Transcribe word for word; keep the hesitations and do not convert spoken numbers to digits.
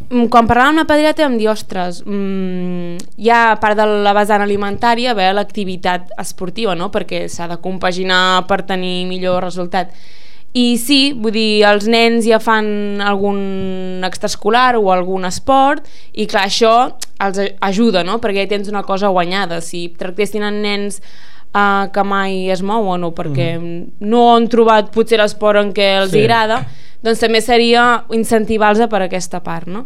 Quan parlàvem amb la pediatra em diu, ostres, mmm, hi ha a part de la vessant alimentària haver l'activitat esportiva, no? Perquè s'ha de compaginar per tenir millor resultat. I sí, vull dir, els nens ja fan algun extraescolar o algun esport i clar, això els ajuda, no? Perquè ja tens una cosa guanyada. Si tractessin en nens uh, que mai es mouen o perquè mm. no han trobat potser l'esport en què els sí. agrada, doncs també seria incentivar-los per aquesta part, no?